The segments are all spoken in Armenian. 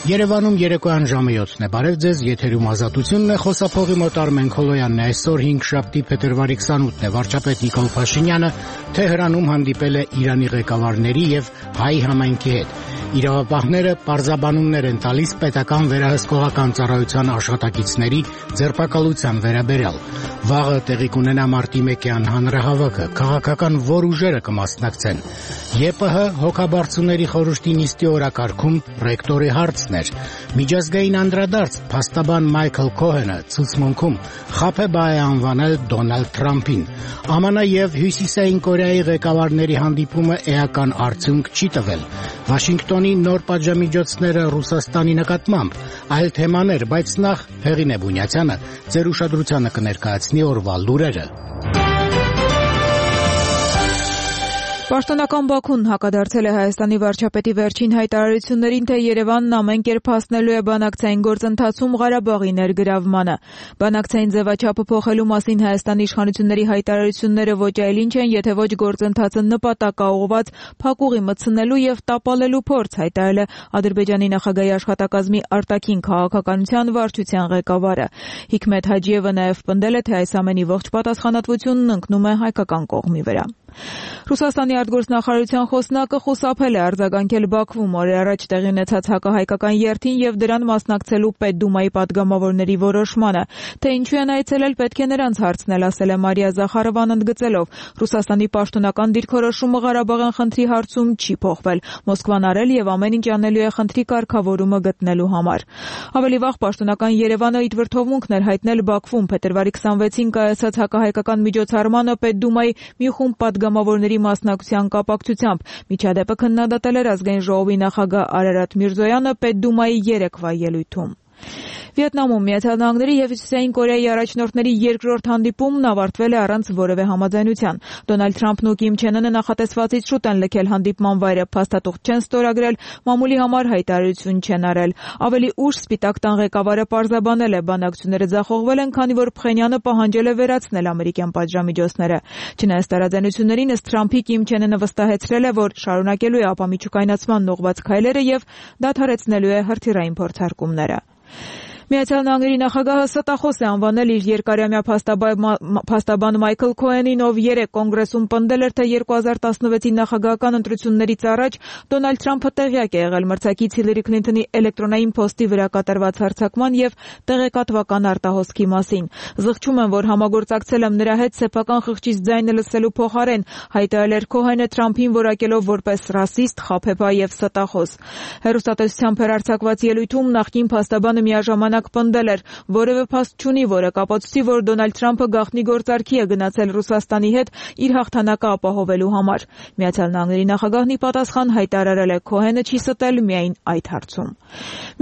Երևանում երեկոյան ժամը 7-ն է, բարև ձեզ, եթերում Ազատությունն է, խոսափողի մոտ Արմեն Քոլոյանն է, այսօր 5-շաբթի փետրվարի 28-ն է, վարչապետ Նիկոլ Փաշինյանը Թեհրանում հանդիպել է Իրանի ղեկավարների եւ հայ համայնքի հետ։ Իրավապահները պարզաբանումներ են տալիս պետական վերահսկողական ծառայության աշխատակիցների ձերբակալության վերաբերյալ։ Վաղը տեղի կունենա մարտի 1-յան հանրահավաքը, քաղաքական որ ուժերը կմասնակցեն։ ԵՊՀ հոգաբարձուների խորհրդի նիստի օրակարգում ռեկտորի հարցն էր։ Միջազգային անդրադարձ փաստաբան Մայքլ Քոհենը ցուցմունքում խաբեբա է անվանել Դոնալդ Թրամփին։ ԱՄՆ եւ Հյուսիսային Կորեայի ղեկավարների հանդիպումը էական արդյունք չի տվել։ Վաշինգտոնի նոր պատժամիջոցները Ռուսաստանի նկատմամբ, այլ թեմաներ, բայց նախ Հեղինե Բունյացյանը ձեր ուշադրությանը կներկայացնի օրվա լուրերը։ Պաշտոնական Բաքուն հակադարձել է Հայաստանի վարչապետի վերջին հայտարարություններին, թե Երևանն ամեն կերպ հասնելու է բանակցային գործընթացում Ղարաբաղի ներգրավմանը։ Բանակցային ձևաչափը փոխելու մասին Հայաստանի իշխանությունների հայտարարությունները ոչ այլ ինչ են, եթե ոչ գործընթացը նպատակաուղղված փակուղի մտցնելու եւ տապալելու փորձ, հայտարարել է Ադրբեջանի նախագահի աշխատակազմի արտաքին քաղաքականության վարչության ղեկավարը։ Հիկմետ Հաջիևը նաեւ պնդել է, թե այս ամենի ողջ պատասխանատվությունն ընկնում է հայկական կողմի վրա։ Ռուսաստանի արտգործնախարարության խոսնակը խուսափել է արձագանքել Բաքվում օրեր առաջ տեղի ունեցած հակահայկական երթին եւ դրան մասնակցելու Պետդումայի падգամավորների որոշմանը, թե ինչու են այցելել, պետք է նրանց հարցնել, ասել է Մարիա Զախարովան, ընդգծելով. Ռուսաստանի պաշտոնական դիրքորոշումը Ղարաբաղյան խնդրի հարցում չի փոխվել։ Մոսկվան արել եւ ամեն ինչ անելու է խնդրի կարգավորումը գտնելու համար։ Ավելի վաղ պաշտոնական Երևանը իր վրթովմունքն էր հայտնել Բաքվում փետրվարի 26-ին կայացած հակահայկական միջոցառմանը Պետդումայի մի խումբ падգամավորների մասնակցության կապակցությամբ։ Միջադեպը քննադատել էր ազգային ժողովի նախագահ Արարատ Միրզոյանը Պետդումայի երեկվա ելույթում։ Վիետնամում Միացյալ Նահանգների եւ Հյուսիսային Կորեայի առաջնորդների երկրորդ հանդիպումն ավարտվել է առանց որևէ համաձայնության։ Դոնալդ Թրամփն ու Կիմ Չեն Ընը նախատեսվածից շուտ են լքել հանդիպման վայրը, փաստաթուղթ չեն ստորագրել, մամուլի համար հայտարարություն չեն արել։ Ավելի ուշ Սպիտակ տան ղեկավարը պարզաբանել է, բանակցությունները ձախողվել են, քանի որ Փխենյանը պահանջել է վերացնել ամերիկյան պատժամիջոցները։ Չնայած տարաձայնություններին, ըստ Թրամփի, Կիմ Չեն Ընը վստահեցրել է, որ շարունակելու է ապամիջուկայնացման ուղղված քայլերը եւ դադարեցնելու է հրթիռային փորձարկումները։ Միացյալ Նահանգների նախագահը ստախոս է անվանել իր երկարամյա փաստաբան Մայքլ Քոհենին, ով երեկ կոնգրեսում պնդել էր, թե 2016-ի նախագահական ընտրություններից առաջ Դոնալդ Թրամփը տեղյակ է եղել մրցակից Հիլարի Քլինթոնի էլեկտրոնային փոստի վրա կատարված հարձակման եւ տեղեկատվական արտահոսքի մասին։ Զղջում են, որ համագործակցել եմ նրա հետ սեփական խղճից ձայնը լսելու փոխարեն, հայտարարել էր Քոհենը Թրամփին որակելով որպես ռասիստ, խաբեբա եւ ստախոս։ Հեռուստատեսությամբ հեռարձակված ելույթում նախկին փաստաբանը միաժամանակ պնդել էր, որևէ փաստ չունի, որը կապացուցի, որ Դոնալդ Թրամփը գաղտնի գործարքի է գնացել Ռուսաստանի հետ իր հաղթանակը ապահովելու համար։ Միացյալ Նահանգների նախագահն ի պատասխան հայտարարել է, Քոհենը չի ստել միայն այդ հարցում։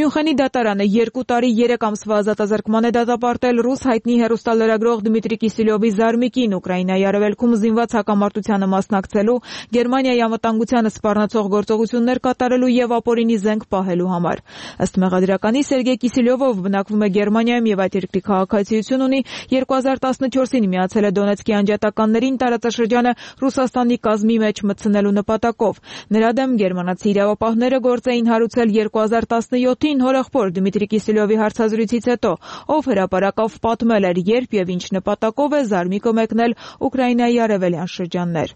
Մյունխենի դատարանը 2 տարի 3 ամսվա ազատազրկման է դատապարտել ռուս հայտնի հեռուստալրագրող Դմիտրի Կիսելյովի զարմիկին Ուկրաինայի արևելքում զինված հակամարտությանը մասնակցելու, Գերմանիայի անվտանգությանը սպառնացող գործողություններ կատարելու եւ ապօրինի զենք պահելու համար։ Ըստ մեղադրականի Սերգեյ Կիսելյովը բնակվում է Գերմանիայում եւ այդ երկրի քաղաքացիություն ունի, 2014-ին միացել է Դոնեցկի անջատականներին տարածաշրջանը Ռուսաստանի կազմի մեջ մտցնելու նպատակով։ Նրա դեմ գերմանացի իրավապահները գործ էին հարուցել 2017-ին հորեղբոր Դմիտրի Կիսելյովի հարցազրույցից հետո, ով հրապարակավ պատմել էր, երբ եւ ինչ նպատակով է զարմիկը մեկնել Ուկրաինայի արևելյան շրջաններ։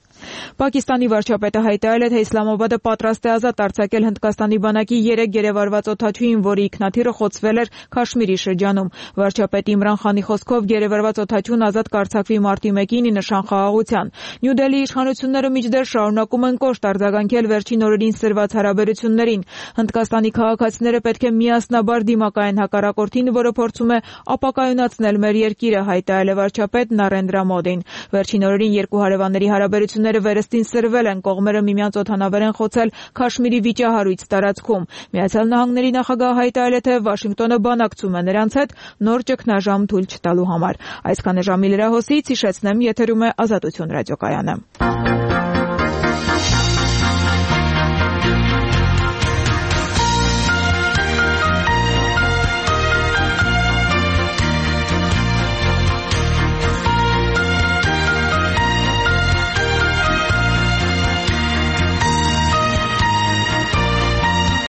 Պակիստանի վարչապետը հայտարարել է, թե Իսլամաբադը պատրաստ է ազատ արձակել Հնդկաստանի բանակի 3 գերեվարված օդաչուին, որի ինքնաթիռը խոցվել էր Քաշմիրի շրջանում։ Վարչապետ Իմրան Խանի խոսքով գերեվարված օդաչուն ազատ կարձակվի մարտի 1-ին ի նշան խաղաղության։ Նյու Դելհի իշխանությունները մինչդեռ շարունակում են կոշտ արձագանքել վերջին օրերին սրված հարաբերություններին։ Հնդկաստանի քաղաքացիները պետք է միասնաբար դիմակայեն հակառակորդին, որը փորձում է ապակայունացնել մեր երկիրը, հայտարարել է վարչապետ Նարենդրա Մոդին։ Վերջին օրերին երկու հարևանների հարաբերությունները վերստին սրվել են, կողմերը միմյանց օդանավեր են խոցել Քաշմիրի վիճահարույց տարածքում։ Միացյալ Նահանգների նախագահը հայտարարել է, թե Վաշինգտոնը բանակցում է նրանց հետ նոր ճգնաժամ թույլ չտալու համար։ Այսքանը ժամի լրահոսից հիշեցնեմ, եթերում է Ազատություն ռադիոկայանը։